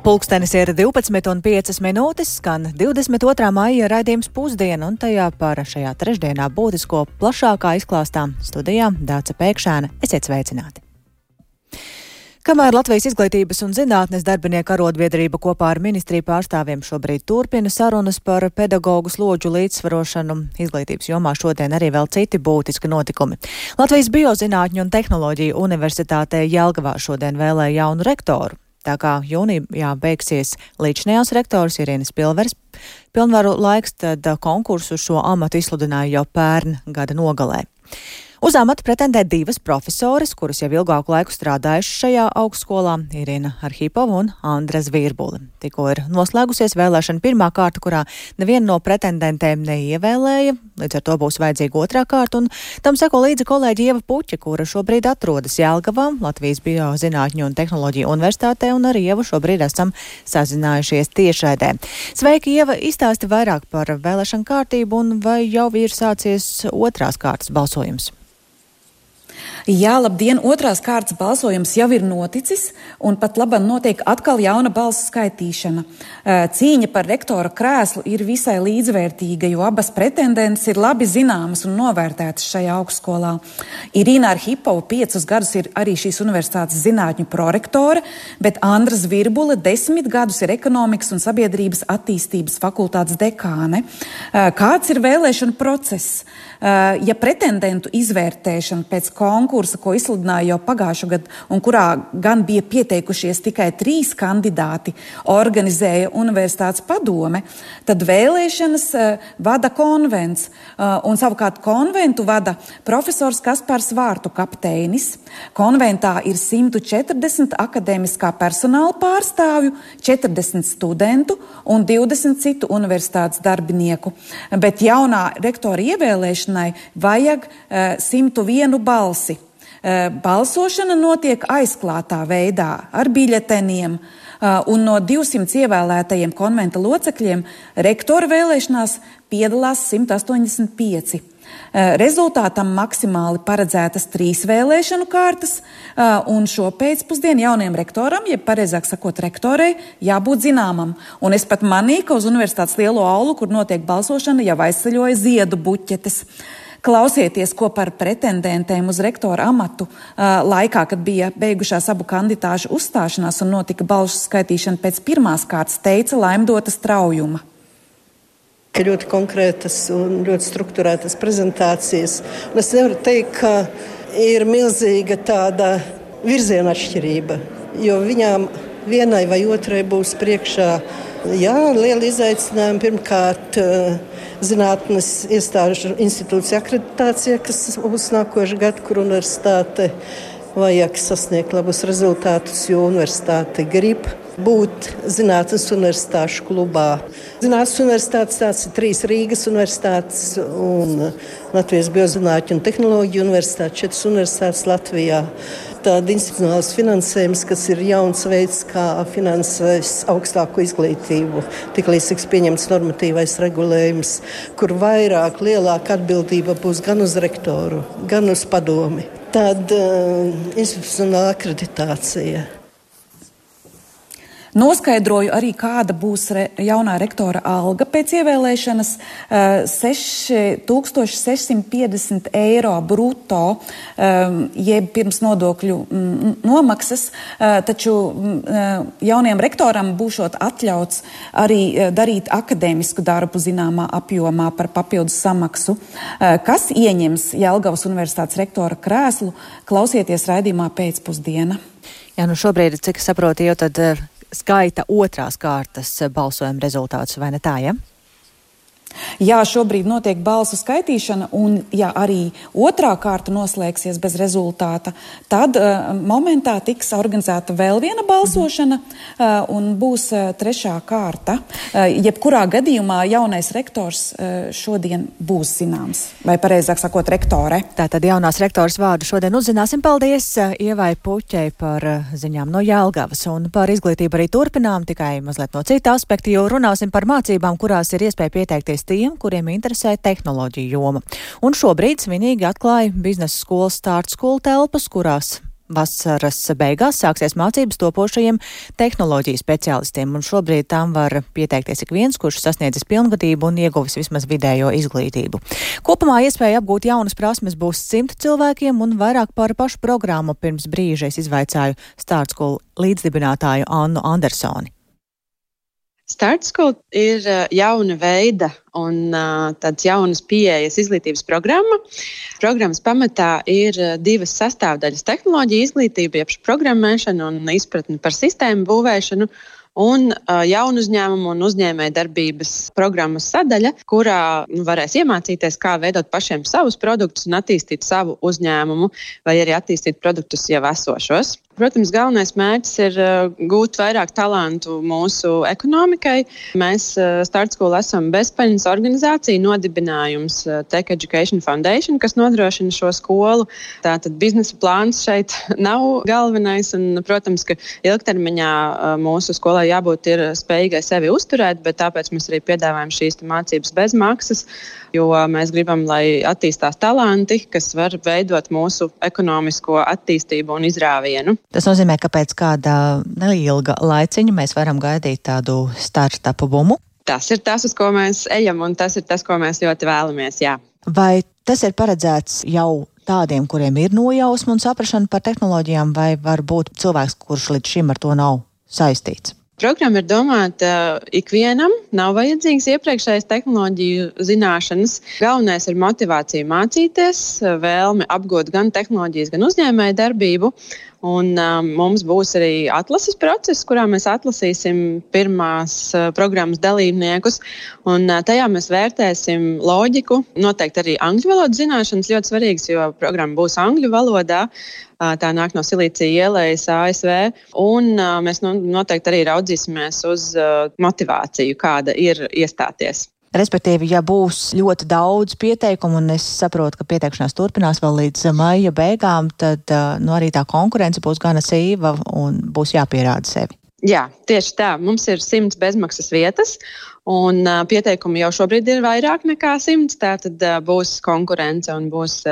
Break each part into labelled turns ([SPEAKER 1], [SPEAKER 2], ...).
[SPEAKER 1] Pulkstenis ir 12:05, skan 22. maija raidījums Pusdiena, un tajā par šajā trešdienā būtisko plašākā izklāstā studijā Dāca Pēkšēna. Esiet sveicināti! Kamēr Latvijas izglītības un zinātnes darbinieku arotbiedrība kopā ar ministriju pārstāvjiem šobrīd turpina sarunas par pedagoģu slodžu līdzsvarošanu, izglītības jomā šodien arī vēl citi būtiski notikumi. Latvijas Biozinātņu un tehnoloģiju universitātē Jelgavā šodien vēlēja jaunu rektoru. Tā kā jūnijā beigsies līdzinājās rektors Irīnas Pilveres pilnvaru laiks, tad konkursu šo amatu izsludināja jau pērn gada nogalē. Uz amatu pretendē divas profesoras, kuras jau ilgāku laiku strādājušas šajā augstskolā - Irina Arhipova un Andra Zvirbule. Tikko ir noslēgusies vēlēšana pirmā kārta, kurā neviena no pretendentēm neievēlēja, līdz ar to būs vajadzīga otrā kārta, un tam seko līdzi kolēģi Ieva Puķa, kura šobrīd atrodas Jelgavā, Latvijas Biozinātņu un tehnoloģiju universitātē, un ar Ievu šobrīd esam sazinājušies tiešraidē. Sveiki, Ieva, izstāsti vairāk par vēlēšanu kārtību, un vai jau ir sācies otrās kārtas balsojums?
[SPEAKER 2] Jā, labdien! Otrās kārtas balsojums jau ir noticis, un pat labam notiek atkal jauna balsu skaitīšana. Cīņa par rektora krēslu ir visai līdzvērtīga, jo abas pretendentes ir labi zināmas un novērtētas šajā augstskolā. Irīna Arhipova 5 gadus ir arī šīs universitātes zinātņu prorektore, bet Andra Zvirbule 10 gadus ir ekonomikas un sabiedrības attīstības fakultātes dekāne. Kāds ir vēlēšana process? Ja pretendentu izvērtēšana pēc konkursa, ko izsludināja jau pagājušo gadu, un kurā gan bija pieteikušies tikai 3 kandidāti, organizēja universitātes padome, tad vēlēšanas vada konvents, un savukārt konventu vada profesors Kaspars Vārtu kapteinis. Konventā ir 140 akadēmiskā personāla pārstāvju, 40 studentu un 20 citu universitātes darbinieku. Bet jaunā rektora ievēlēšanai vajag 101 balsi. Balsošana notiek aizklātā veidā ar biļeteniem, un no 200 ievēlētajiem konventa locekļiem rektora vēlēšanās piedalās 185. Rezultātam maksimāli paredzētas 3 vēlēšanu kārtas, un šo pēcpusdienu jaunajam rektoram, jeb pareizāk sakot rektorei, jābūt zināmam. Un es pat manīju, ka uz universitātes lielo aulu, kur notiek balsošana, jau aizceļoja ziedu buķetes. Klausieties, ko par pretendentēm uz rektora amatu laikā, kad bija beigušās abu kandidāšu uzstāšanās un notika balsu skaitīšana pēc pirmās kārtas, teica Laimdota Straujuma.
[SPEAKER 3] Ļoti konkrētas un ļoti strukturētas prezentācijas. Un es nevaru teikt, ka ir milzīga tāda virziena atšķirība, jo viņām vienai vai otrai būs priekšā lieli izaicinājumi. Pirmkārt, zinātnes iestāžu institūcija akreditācija, kas būs nākošais gads, kur universitāte vajag sasniegt labus rezultātus, jo universitāte grib būt zinātnes universitāšu klubā. Zinātnes universitātes tās ir 3 Rīgas universitātes un Latvijas Biozinātņu un tehnoloģiju universitāte, 4 universitātes Latvijā. Tāda institucionāls finansējums, kas ir jauns veids, kā finansēs augstāko izglītību. Tiklīdz tiks pieņemts normatīvais regulējums, kur vairāk, lielāka atbildība būs gan uz rektoru, gan uz padomi. Tad institucionāla akreditācija.
[SPEAKER 2] Noskaidroju arī, kāda būs jaunā rektora alga pēc ievēlēšanas - 6650 eiro bruto, jeb pirms nodokļu nomaksas, taču jaunajam rektoram būšot atļauts arī darīt akadēmisku darbu zināmā apjomā par papildus samaksu. Kas ieņems Jelgavas universitātes rektora krēslu, klausieties raidījumā Pēcpusdiena.
[SPEAKER 1] Jā, šobrīd, cik saprotu, jau tad skaita otrās kārtas balsojuma rezultātus, vai ne tā, ja?
[SPEAKER 2] Jā, šobrīd notiek balsu skaitīšana, un ja arī otrā kārta noslēgsies bez rezultāta, tad momentā tiks organizēta vēl viena balsošana un būs trešā kārta. Jebkurā gadījumā jaunais rektors šodien būs zināms, vai pareizāk sakot rektore.
[SPEAKER 1] Tātad jaunās rektoras vārdu šodien uzzināsim. Paldies Ievai Puķei par ziņām no Jelgavas, un par izglītību arī turpinām, tikai mazliet no cita aspekta, jo runāsim par mācībām, kurās ir iespēja pieteikties tiem, kuriem interesē tehnoloģiju joma. Un šobrīd svinīgi atklāja biznesa skolas Start School telpas, kurās Vasaras beigās sāksies mācības topošajiem tehnoloģiju speciālistiem, un šobrīd tām var pieteikties ik viens, kurš sasniedzis pilngadību un ieguvis vismaz vidējo izglītību. Kopumā iespēja apgūt jaunas prasmes būs 100 cilvēkiem, un vairāk par pašu programmu pirms brīža es izvaicāju Start School līdzdibinātāju Annu Andersoni.
[SPEAKER 4] Start School ir jauna veida un tāds jaunas pieejas izglītības programma. Programmas pamatā ir 2 sastāvdaļas - tehnoloģija izglītība, jeb programmēšana un izpratne par sistēmu būvēšanu, un jaunu uzņēmumu un uzņēmēju darbības programmas sadaļa, kurā varēs iemācīties, kā veidot pašiem savus produktus un attīstīt savu uzņēmumu, vai arī attīstīt produktus jau esošos. Protams, galvenais mērķis ir gūt vairāk talantu mūsu ekonomikai. Mēs Start School esam bezpeļņas organizācija, nodibinājums Tech Education Foundation, kas nodrošina šo skolu. Tātad biznesa plāns šeit nav galvenais, un, protams, ka ilgtermiņā mūsu skolai jābūt ir spējīgai sevi uzturēt, bet tāpēc mēs arī piedāvājam šīs mācības bez maksas, jo mēs gribam, lai attīstās talanti, kas var veidot mūsu ekonomisko attīstību un izrāvienu.
[SPEAKER 1] Tas nozīmē, ka pēc kāda neilga laiciņa mēs varam gaidīt tādu startupu bumu?
[SPEAKER 4] Tas ir tas, uz ko mēs ejam, un tas ir tas, ko mēs ļoti vēlamies, jā.
[SPEAKER 1] Vai tas ir paredzēts jau tādiem, kuriem ir nojausma un saprašana par tehnoloģijām, vai varbūt cilvēks, kurš līdz šim ar to nav saistīts?
[SPEAKER 4] Programma ir domāta ikvienam, nav vajadzīgas iepriekšējas tehnoloģiju zināšanas. Galvenais ir motivācija mācīties, vēlme apgūt gan tehnoloģijas, gan uzņēmēju darbību. Un mums būs arī atlases process, kurā mēs atlasīsim pirmās programmas dalībniekus. Un tajā mēs vērtēsim loģiku, noteikti arī angļu valodas zināšanas ļoti svarīgas, jo programma būs angļu valodā. Tā nāk no Silīcija ielas ASV. Un mēs noteikti arī raudzīsimies uz motivāciju, kāda ir iestāties.
[SPEAKER 1] Respektīvi, ja būs ļoti daudz pieteikumu, un es saprotu, ka pieteikšanās turpinās vēl līdz maija beigām, tad arī tā konkurence būs gana sīva un būs jāpierāda sevi.
[SPEAKER 4] Jā, tieši tā. Mums ir 100 bezmaksas vietas, un pieteikumi jau šobrīd ir vairāk nekā 100. Tātad būs konkurence un būs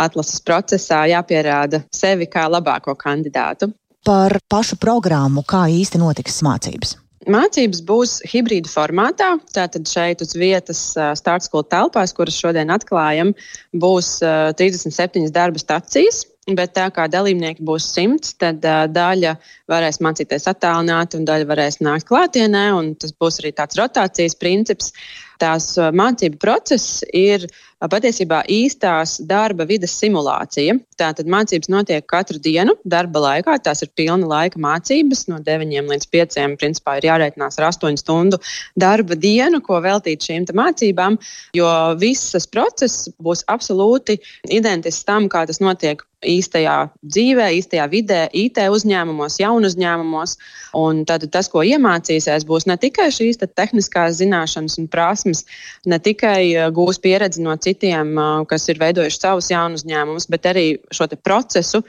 [SPEAKER 4] atlases procesā jāpierāda sevi kā labāko kandidātu.
[SPEAKER 1] Par pašu programmu, kā īsti notiks mācības?
[SPEAKER 4] Mācības būs hibrīda formātā. Tātad šeit uz vietas Start School telpās, kuras šodien atklājam, būs 37 darba stacijas. Bet tā kā dalībnieki būs 100, tad daļa varēs mācīties attālināti un daļa varēs nākt klātienē. Un tas būs arī tāds rotācijas princips. Tās mācību process ir patiesībā īstās darba vides simulācija. Tātad mācības notiek katru dienu darba laikā. Tās ir pilna laika mācības. No 9 līdz 5 principā ir jārēķinās ar 8 stundu darba dienu, ko veltīt šīm mācībām. Jo visas process būs absolūti identisks tam, kā tas notiek īstajā dzīvē, īstajā vidē, IT uzņēmumos, jaunu uzņēmumos. Un tad tas, ko iemācīsies, būs ne tikai šīs tehniskās zināšanas un prasmes, ne tikai gūs pieredzi no citiem, kas ir veidojuši savus jaunu uzņēmumus, bet arī šo procesu,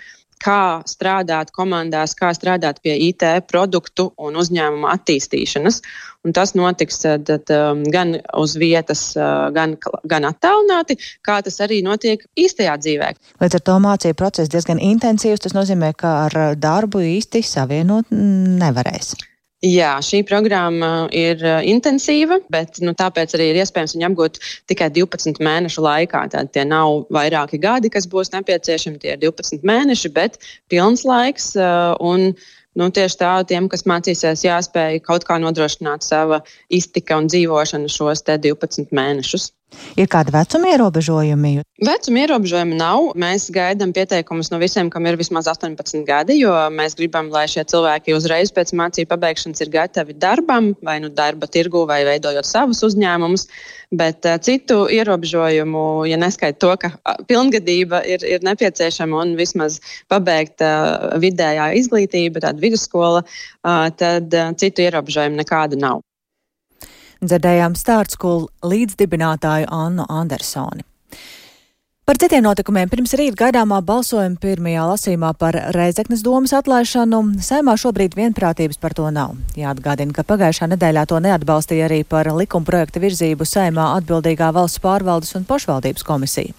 [SPEAKER 4] kā strādāt komandās, kā strādāt pie IT produktu un uzņēmuma attīstīšanas. Un tas notiks gan uz vietas, gan attālināti, kā tas arī notiek īstajā dzīvē.
[SPEAKER 1] Līdz ar to mācību process diezgan intensīvs. Tas nozīmē, ka ar darbu īsti savienot nevarēs.
[SPEAKER 4] Jā, šī programma ir intensīva, bet tāpēc arī ir iespējams viņu apgūt tikai 12 mēnešu laikā. Tātad tie nav vairāki gadi, kas būs nepieciešami, tie ir 12 mēneši, bet pilns laiks. Un tieši tā, tiem, kas mācīsies, jāspēj kaut kā nodrošināt sava iztika un dzīvošana šos 12 mēnešus.
[SPEAKER 1] Ir kādi vecuma ierobežojumi?
[SPEAKER 4] Vecuma ierobežojumi nav. Mēs gaidām pieteikumus no visiem, kam ir vismaz 18 gadi, jo mēs gribam, lai šie cilvēki uzreiz pēc mācību pabeigšanas ir gatavi darbam, vai darba tirgu, vai veidojot savus uzņēmumus. Bet citu ierobežojumu, ja neskaita to, ka pilngadība ir nepieciešama un vismaz pabeigta vidējā izglītība, tāda vidusskola, tad citu ierobežojumu nekādu nav.
[SPEAKER 1] Dzirdējām Start School līdzdibinātāju Annu Andersoni. Par citiem notikumiem pirms rīt gaidāmā balsojuma pirmajā lasījumā par Rēzeknes domas atlaišanu Saeimā šobrīd vienprātības par to nav. Jāatgādina, ka pagājušā nedēļā to neatbalstīja arī par likumprojekta virzību Saeimā atbildīgā valsts pārvaldes un pašvaldības komisija.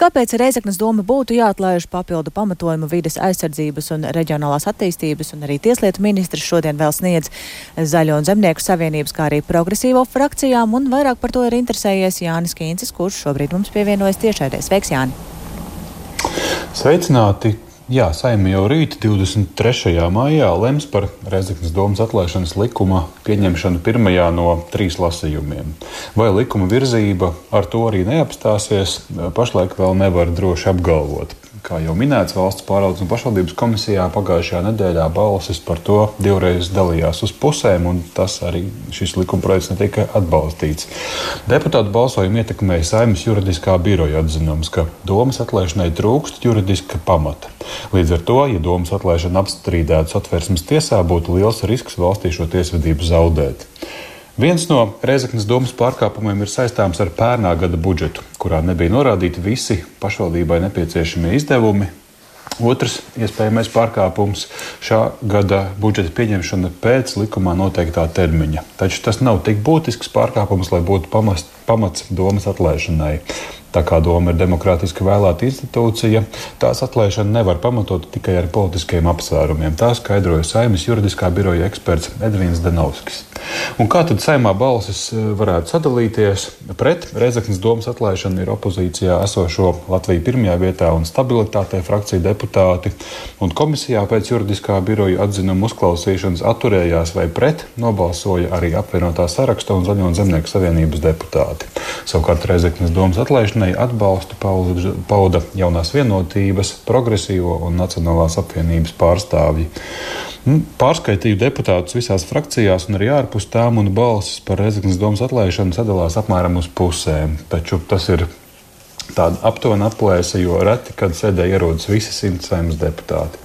[SPEAKER 1] Kāpēc Rēzeknes doma būtu jāatlaiž papildu pamatojumu vides aizsardzības un reģionālās attīstības un arī tieslietu ministrs šodien vēl sniedz Zaļo un Zemnieku savienības, kā arī progresīvo frakcijām, un vairāk par to ir interesējies Jānis Kīncis, kurš šobrīd mums pievienojas tiešraidē. Sveiks, Jāni!
[SPEAKER 5] Sveicināti! Jā, Saeima jau rīt 23. maijā lems par Rēzeknes domas atlaišanas likuma pieņemšanu pirmajā no 3 lasījumiem. Vai likuma virzība ar to arī neapstāsies, pašlaik vēl nevar droši apgalvot. Kā jau minēts, valsts pārvaldes un pašvaldības komisijā pagājušajā nedēļā balsis par to divreiz dalījās uz pusēm, un tas arī šis likumprojekts netika atbalstīts. Deputātu balsojumu ietekmēja Saeimas juridiskā biroja atzinums, ka domas atlaišanai trūkst juridiska pamata. Līdz ar to, ja domas atlaišana apstrīdētu Satversmes tiesā, būtu liels risks valstī šo tiesvedību zaudēt. Viens no Rēzeknes domas pārkāpumiem ir saistāms ar pērnā gada budžetu, kurā nebija norādīti visi pašvaldībai nepieciešamie izdevumi. Otrs iespējamais pārkāpums - šā gada budžeta pieņemšana pēc likumā noteiktā termiņa. Taču tas nav tik būtisks pārkāpums, lai būtu pamats domas atlaišanai. Tā kā doma ir demokrātiski vēlēta institūcija, tās atlaišana nevar pamatot tikai ar politiskiem apsvērumiem. Tā skaidroja Saeimas juridiskā biroja eksperts Edvīns Denovskis. Un kā tad Saeimā balsis varētu sadalīties? Pret Rēzeknes domas atlaišanu ir opozīcijā esošo Latviju pirmajā vietā un stabilitātei frakcija deputāti, un komisijā pēc juridiskā biroja atzinuma uzklausīšanas atturējās vai pret nobalsoja arī apvienotā saraksta un Zaļo un Zemnieku savienības deputāti. Savukārt Rēzeknes domas atlaišanai atbalstu pauda Jaunās vienotības, Progresīvo un Nacionālās apvienības pārstāvji. Pārskaitīju deputātus visās frakcijās un arī ārpus tām, un balsis par Rēzeknes domas atlaišanu sadalās apmēram uz pusēm. Taču tas ir tāda aptuvena aplēse, jo reti, kad sēdē ierodas visi 100 Saeimas deputāti.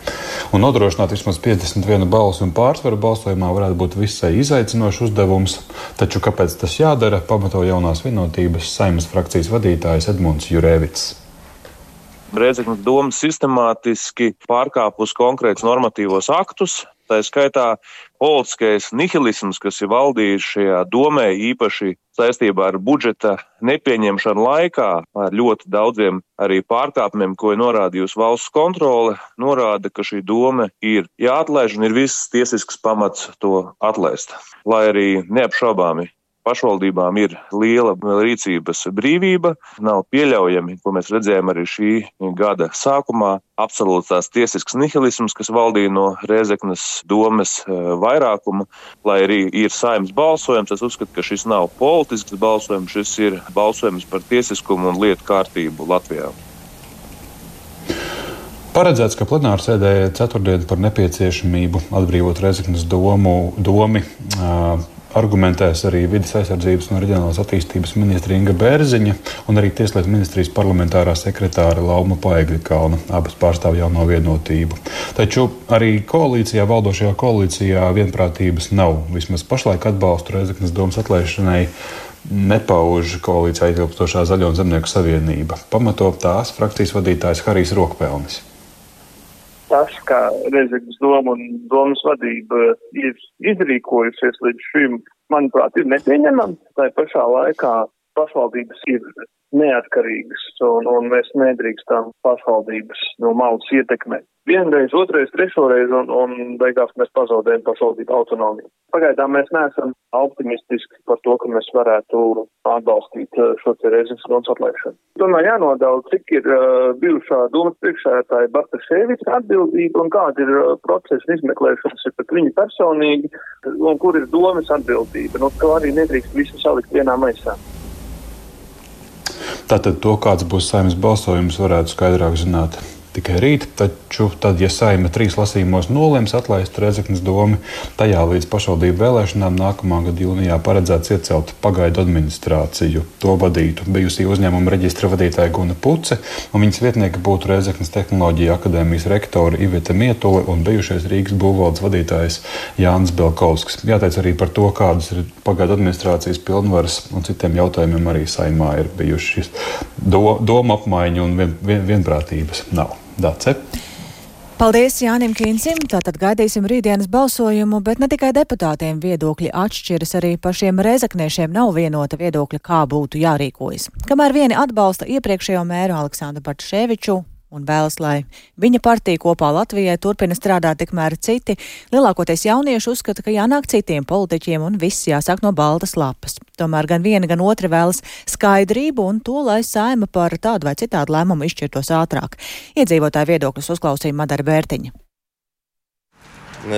[SPEAKER 5] Un nodrošināt vismaz 51 balsu un pārsvaru balsojumā varētu būt visai izaicinošs uzdevums, taču kāpēc tas jādara, pamato Jaunās vienotības Saeimas frakcijas vadītājs Edmunds Jurēvits.
[SPEAKER 6] Rēzeknes doma sistemātiski pārkāpus konkrētus normatīvos aktus, tā skaitā politiskais nihilisms, kas ir valdījis šajā domē, īpaši saistībā ar budžeta nepieņemšanu laikā, ar ļoti daudziem arī pārkāpumiem, ko ir norādījusi valsts kontrole, norāda, ka šī doma ir jāatlaiž un ir viss tiesisks pamats to atlaist. Lai arī neapšaubāmi pašvaldībām ir liela rīcības brīvība, nav pieļaujami, ko mēs redzējām arī šī gada sākumā, absolūts tās tiesisks nihilisms, kas valdīja no Rēzeknes domas vairākuma, lai arī ir Saeimas balsojums. Es uzskatu, ka šis nav politisks balsojums, šis ir balsojums par tiesiskumu un lietu kārtību Latvijā.
[SPEAKER 5] Paredzēts, ka plenārsēdē ceturtdien par nepieciešamību atbrīvot Rēzeknes domi argumentēs arī vides aizsardzības un reģionālās attīstības ministra Inga Bērziņa un arī Tieslietu ministrijas parlamentārā sekretāra Lauma Paegļkalna, abas pārstāv Jauno vienotību. Taču arī valdošajā koalīcijā vienprātības nav. Vismaz pašlaik atbalstu Rēzeknes domas atlaišanai nepauž koalīcijā ietilpstošā Zaļo un Zemnieku savienība. Pamato tās frakcijas vadītājs Harijs Rokpelnis.
[SPEAKER 7] Tas, kā Rēzeknes doma un domas vadība ir izrīkojusies līdz šim, manuprāt, ir nepieņemams. Tā pašā laikā pašvaldības ir neatkarīgas un mēs nedrīkstam pašvaldības no malas ietekmēt. Vienreiz, otrais, trešoreiz un beigās mēs pazaudējam pašvaldību autonomiju. Pagaidām mēs neesam optimistiski par to, ka mēs varētu atbalstīt šo Rēzeknes domas atlaišanu. Tomēr jānodala, cik ir bijušā domas priekšsēdētāja Bartaševiča atbildība un kāda ir procesa izmeklēšanas pret viņu personīgi un kur ir domas atbildība. To arī nedrīkst visu salikt vienā maisā.
[SPEAKER 5] Tātad to, kāds būs Saeimas balsojums, varētu skaidrāk zināt tikai rīt, taču tad, ja Saeima 3 lasījumos nolems atlaist Rēzeknes domu, tajā līdz pašvaldību vēlēšanām nākamā gada jūnijā paredzēts iecelt pagaidu administrāciju. To vadītu bijusī uzņēmuma reģistra vadītāja Guna Puce, un viņas vietnieki būtu Rēzeknes Tehnoloģiju akadēmijas rektora Iveta Mietule un bijušais Rīgas būvvaldes vadītājs Jānis Belkovskis. Jāteic arī par to, kādas ir pagaidu administrācijas pilnvaras un citiem jautājumiem arī Saeimā ir bijušas doma apmaiņa un vienprātības nav. Dāce.
[SPEAKER 1] Paldies Jānim Kīnsim. Tātad gaidīsim rītdienas balsojumu, bet ne tikai deputātiem viedokļi atšķiras, arī pašiem rēzekniešiem nav vienota viedokļa, kā būtu jārīkojas. Kamēr vieni atbalsta iepriekšējo mēru Aleksandru Bartaševiču un vēlas, lai viņa partija kopā Latvijai turpina strādāt, tikmēr citi, lielākoties jaunieši, uzskata, ka jānāk citiem politiķiem un viss jāsāk no baltas lapas. Tomēr gan viena, gan otra vēlas skaidrību un to, lai Saeima par tādu vai citādu lēmumu izšķirtos ātrāk. Iedzīvotāju viedokļus uzklausīja Madara Bērtiņa.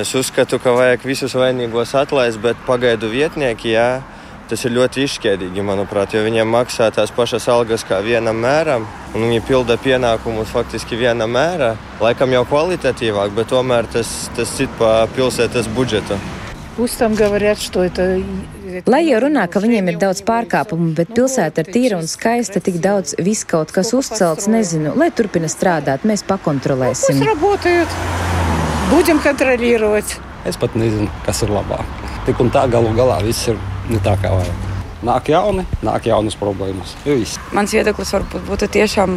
[SPEAKER 8] Es uzskatu, ka vajag visus vainīgos atlaist, bet pagaidu vietnieki, jā, tas ir ļoti izšķēdīgi, manuprāt, jo viņiem maksā tās pašas algas kā vienam mēram, un viņi pilda pienākumus faktiski vienam mērā, laikam jau kvalitatīvāk, bet tomēr tas cit pa pilsētas budžetu.
[SPEAKER 9] Lai jau runā, ka viņiem ir daudz pārkāpumu, bet pilsēta ir tīra un skaista, tik daudz viss kaut kas uzcelts, nezinu, lai turpina strādāt, mēs pakontrolēsim.
[SPEAKER 10] Es pat nezinu, kas ir labāk. Tik un tā galu galā viss ir ne tā kā vajag. Nāk jaunas problēmas.
[SPEAKER 11] Mans viedoklis varbūt būtu tiešām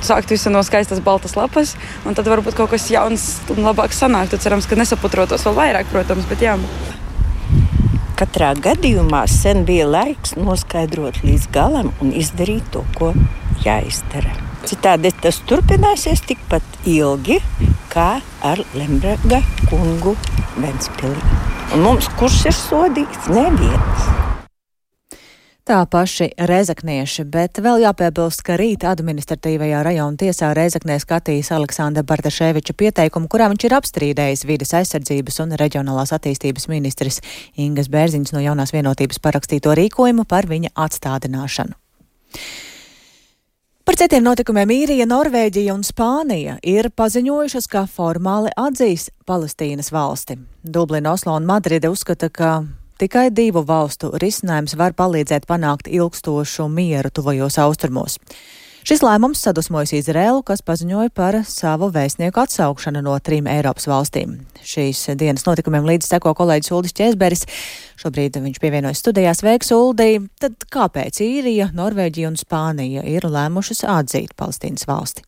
[SPEAKER 11] sākt visu no skaistas baltas lapas, un tad varbūt kaut kas jauns un labāks sanāktu. Cerams, ka nesaputrotos vēl vairāk, protams, bet jā.
[SPEAKER 12] Katrā gadījumā sen bija laiks noskaidrot līdz galam un izdarīt to, ko jāizdara. Citādi tas turpināsies tikpat ilgi, kā ar Lemberga kungu Ventspilī. Un mums kurš ir sodīts? Neviens.
[SPEAKER 1] Tā paši rēzeknieši, bet vēl jāpiebilst, ka rīt administratīvajā rajona tiesā Rēzeknē skatīs Aleksandra Bartaševiča pieteikumu, kurā viņš ir apstrīdējis vides aizsardzības un reģionālās attīstības ministris Ingas Bērziņas no Jaunās vienotības parakstīto rīkojumu par viņa atstādināšanu. Par citiem notikumiem Īrija, Norvēģija un Spānija ir paziņojušas, ka formāli atzīs Palestīnas valsti. Dublina, Oslo un Madride uzskata, ka tikai 2 valstu risinājums var palīdzēt panākt ilgstošu mieru tuvajos austrumos. Šis lēmums sadusmojas Izraēlu, kas paziņoja par savu vēstnieku atsaukšanu no 3 Eiropas valstīm. Šīs dienas notikumiem līdz seko kolēģis Uldis Ķēzberis. Šobrīd viņš pievienojas studijās. Sveiks, Uldi! Tad kāpēc Īrija, Norvēģija un Spānija ir lēmušas atzīt Palestīnas valsti?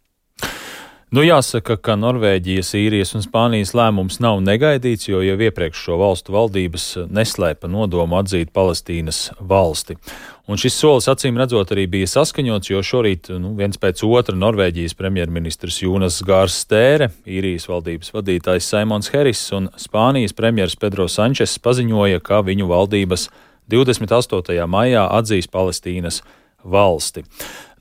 [SPEAKER 13] Jāsaka, ka Norvēģijas, Īrijas un Spānijas lēmums nav negaidīts, jo jau iepriekš šo valstu valdības neslēpa nodomu atzīt Palestīnas valsti. Un šis solis acīm redzot arī bija saskaņots, jo šorīt viens pēc otra Norvēģijas premjerministrs Jonas Gārs Stēre, Īrijas valdības vadītājs Saimons Heris un Spānijas premjers Pedro Sančes paziņoja, ka viņu valdības 28. maijā atzīs Palestīnas valsti.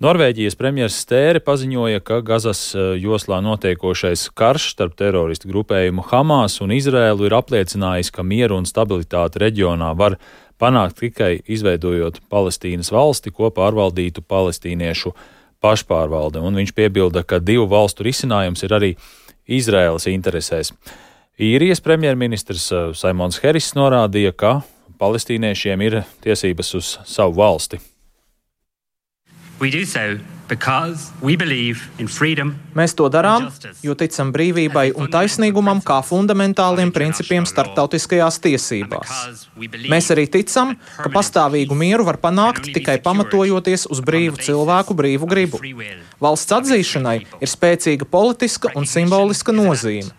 [SPEAKER 13] Norvēģijas premjers Stēre paziņoja, ka Gazas joslā notiekošais karš starp teroristu grupējumu Hamas un Izraēlu ir apliecinājis, ka mieru un stabilitāti reģionā var panākt tikai izveidojot Palestīnas valsti, ko pārvaldītu palestīniešu pašpārvalde. Un viņš piebilda, ka 2 valstu risinājums ir arī Izraēlas interesēs. Īrijas premjerministrs Saimons Heris norādīja, ka palestīniešiem ir tiesības uz savu valsti.
[SPEAKER 14] Mēs to darām, jo ticam brīvībai un taisnīgumam kā fundamentāliem principiem starptautiskajās tiesībās. Mēs arī ticam, ka pastāvīgu mieru var panākt tikai pamatojoties uz brīvu cilvēku brīvu gribu. Valsts atzīšanai ir spēcīga politiska un simboliska nozīme.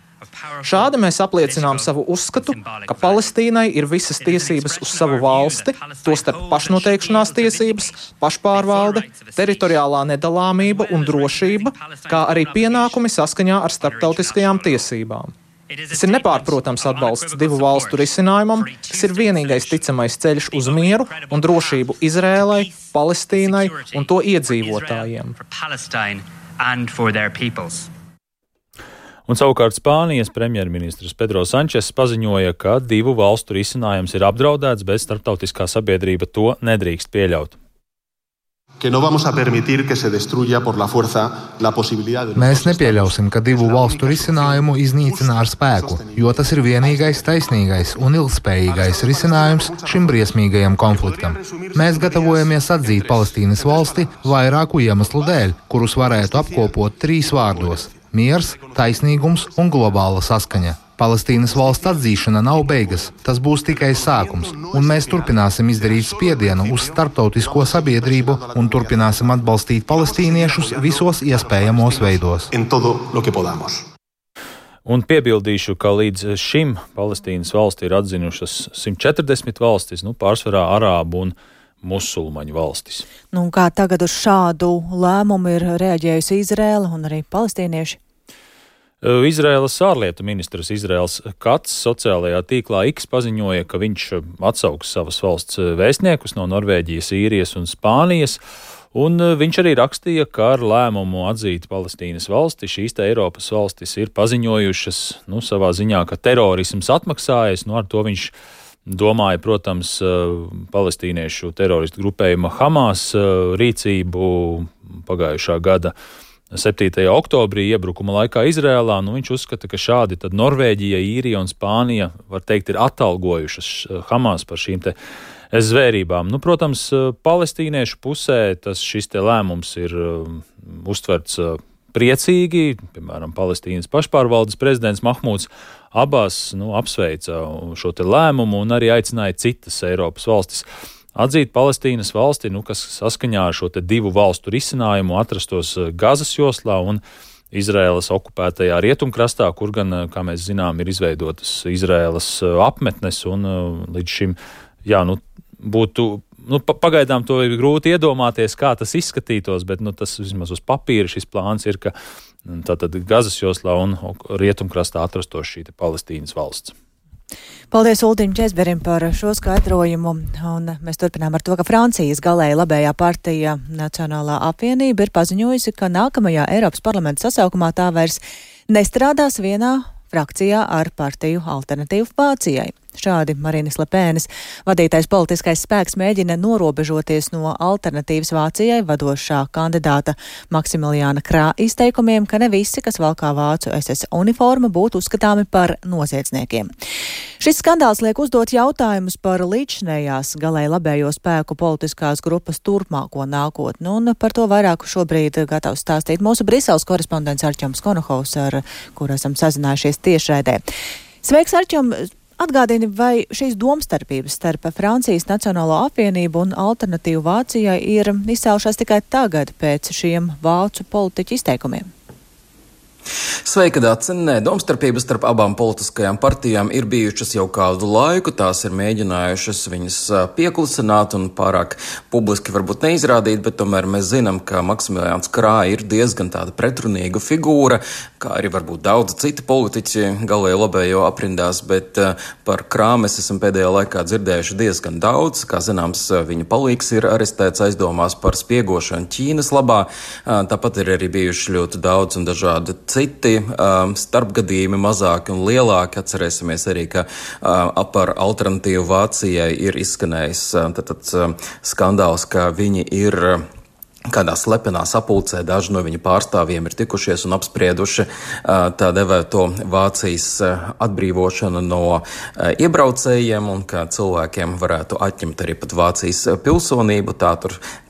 [SPEAKER 14] Šādi mēs apliecinām savu uzskatu, ka Palestīnai ir visas tiesības uz savu valsti, tostarp pašnoteikšanās tiesības, pašpārvalde, teritoriālā nedalāmība un drošība, kā arī pienākumi saskaņā ar starptautiskajām tiesībām. Tas ir nepārprotams atbalsts 2 valstu risinājumam, kas ir vienīgais ticamais ceļš uz mieru un drošību Izrēlai, Palestīnai un to iedzīvotājiem.
[SPEAKER 13] Un savukārt Spānijas premjerministrs Pedro Sančes paziņoja, ka 2 valstu risinājums ir apdraudēts, bet starptautiskā sabiedrība to nedrīkst pieļaut.
[SPEAKER 15] Mēs nepieļausim, ka divu valstu risinājumu iznīcina ar spēku, jo tas ir vienīgais taisnīgais un ilgspējīgais risinājums šim briesmīgajam konfliktam. Mēs gatavojamies atzīt Palestīnas valsti vairāku iemeslu dēļ, kurus varētu apkopot 3 vārdos – miers, taisnīgums un globāla saskaņa. Palestīnas valsts atzīšana nav beigas, tas būs tikai sākums, un mēs turpināsim izdarīt spiedienu uz starptautisko sabiedrību un turpināsim atbalstīt palestīniešus visos iespējamos veidos.
[SPEAKER 13] Un piebildīšu, ka līdz šim Palestīnas valsti ir atzinušas 140 valstis, pārsvarā arābu un musulmaņu valstis.
[SPEAKER 1] Kā tagad uz šādu lēmumu ir reaģējusi Izraela un arī palestīnieši?
[SPEAKER 13] Izraēlas ārlietu ministrs Izraels Kats sociālajā tīklā X paziņoja, ka viņš atsauks savas valsts vēstniekus no Norvēģijas, Īrijas un Spānijas, un viņš arī rakstīja, ka ar lēmumu atzīt Palestīnas valsti šīs te Eiropas valstis ir paziņojušas, savā ziņā, ka terorisms atmaksājas, ar to viņš domāja, protams, palestīniešu teroristu grupējuma Hamas rīcību pagājušā gada 7. oktobrī iebrukuma laikā Izrēlā. Viņš uzskata, ka šādi tad Norvēģija, Īrija un Spānija, var teikt, ir atalgojušas Hamas par šīm te zvērībām. Protams, palestīniešu pusē šis te lēmums ir uztverts priecīgi. Piemēram, Palestīnas pašpārvaldes prezidents Mahmūds Abās apsveica šo te lēmumu un arī aicināja citas Eiropas valstis atzīt Palestīnas valsti, kas saskaņā ar šo te 2 valstu risinājumu atrastos Gazas joslā un Izraēlas okupētajā rietumkrastā, kur gan, kā mēs zinām, ir izveidotas Izraēlas apmetnes un līdz šim, būtu, pagaidām to ir grūti iedomāties, kā tas izskatītos, bet tas vismaz uz papīra šis plāns ir, ka tātad Gazas joslā un rietumkrastā atrastos šī te Palestīnas valsts.
[SPEAKER 1] Paldies Ultim Česberim par šo skaidrojumu, un mēs turpinām ar to, ka Francijas galēji labējā partija Nacionālā apvienība ir paziņojusi, ka nākamajā Eiropas parlamenta sasaukumā tā vairs nestrādās vienā frakcijā ar partiju Alternatīvu Vācijai. Šādi Marinas Lepēnas vadītais politiskais spēks mēģina norobežoties no Alternatīvas Vācijai vadošā kandidāta Maksimiljāna Krā izteikumiem, ka ne visi, kas valkā vācu SS uniformu, būtu uzskatāmi par noziedzniekiem. Šis skandāls liek uzdot jautājumus par līdzšinējās galēji labējo spēku politiskās grupas turpmāko nākotni, un par to vairāk šobrīd gatavs stāstīt mūsu Briseles korespondents Arčoms Konohovs, ar kuru esam sazinājušies tiešraidē. Sveiks, Arčom! Atgādini, vai šīs domstarpības starp Francijas Nacionālo apvienību un Alternatīvu Vācijai ir izcēlušās tikai tagad pēc šiem vācu politiķu izteikumiem?
[SPEAKER 16] Sveika, Dāce! Nē, domstarpības starp abām politiskajām partijām ir bijušas jau kādu laiku. Tās ir mēģinājušas viņas pieklusināt un pārāk publiski varbūt neizrādīt, bet tomēr mēs zinām, ka Maksimiljāns Krā ir diezgan tāda pretrunīga figūra, kā arī varbūt daudz citi politiķi galēji labējo aprindās, bet par Krā mēs esam pēdējā laikā dzirdējuši diezgan daudz. Kā zināms, viņa palīgs ir arestēts aizdomās par spiegošanu Ķīnas labā. Tāpat ir arī bijuši ļoti daudz un dažādi citi starpgadījumi, mazāki un lielāki. Atcerēsimies arī, ka par Alternatīvu Vācijai ir izskanējis skandāls, ka viņi ir kādā slepenā sapulcē, daži no viņa pārstāvjiem ir tikušies un apsprieduši tā devēto Vācijas atbrīvošanu no iebraucējiem un ka cilvēkiem varētu atņemt arī pat Vācijas pilsonību. Tā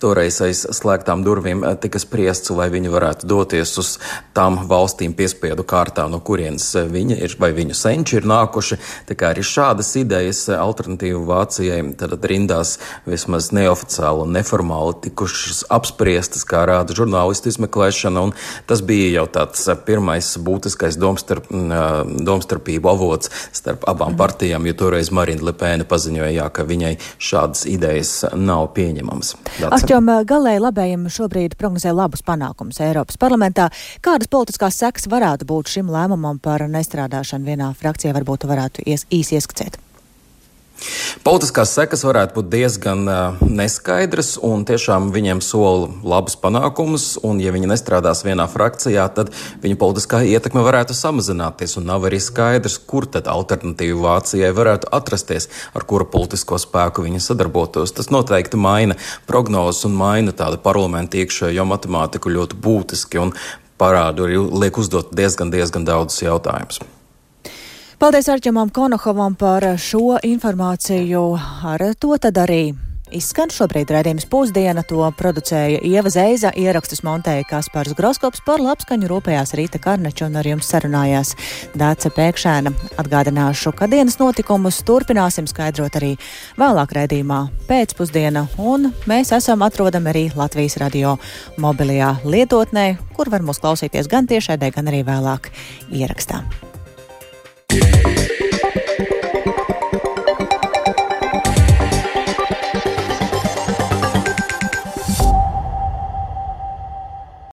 [SPEAKER 16] toreiz aiz slēgtām durvīm tika spriests, lai viņi varētu doties uz tām valstīm piespiedu kārtā, no kurienes viņi ir vai viņu senči ir nākuši. Tā kā arī šādas idejas Alternatīvu Vācijai tad rindās vismaz neoficiāli un neformāli tikušas apspriestas, kā rāda žurnālistu izmeklēšana, un tas bija jau tāds pirmais būtiskais domstarpību avots starp abām partijām, jo toreiz Marina Lepēna paziņoja, ka viņai šādas idejas nav pieņemamas.
[SPEAKER 1] Arčom, galēji labējiem šobrīd prognozē labus panākumus Eiropas parlamentā. Kādas politiskās sekas varētu būt šim lēmumam par nestrādāšanu vienā frakcijā, varbūt varētu īsi ieskicēt?
[SPEAKER 16] Politiskās sekas varētu būt diezgan neskaidras, un tiešām viņiem sola labus panākumus, un ja viņi nestrādās vienā frakcijā, tad viņa politiskā ietekme varētu samazināties, un nav arī skaidrs, kur tad alternatīva Vācijai varētu atrasties, ar kura politisko spēku viņi sadarbotos. Tas noteikti maina prognozes un maina tādu parlamentu iekšējo matemātiku ļoti būtiski, un parādu arī liek uzdot diezgan daudzus jautājumus.
[SPEAKER 1] Paldies Arķemam Konohovam par šo informāciju. Ar to tad arī izskan šobrīd raidījums Pusdiena. To producēja Ieva Zeiza, ierakstus montēja Kaspars Groskops, par labskaņu rūpējās Rīta Karneča un ar jums sarunājās Dāce Pēkšēna. Atgādināšu, ka dienas notikumus turpināsim skaidrot arī vēlāk raidījumā Pēcpusdiena, un mēs esam atrodami arī Latvijas radio mobilajā lietotnē, kur var mūs klausīties gan tiešraidē, gan arī vēlāk ierakstā.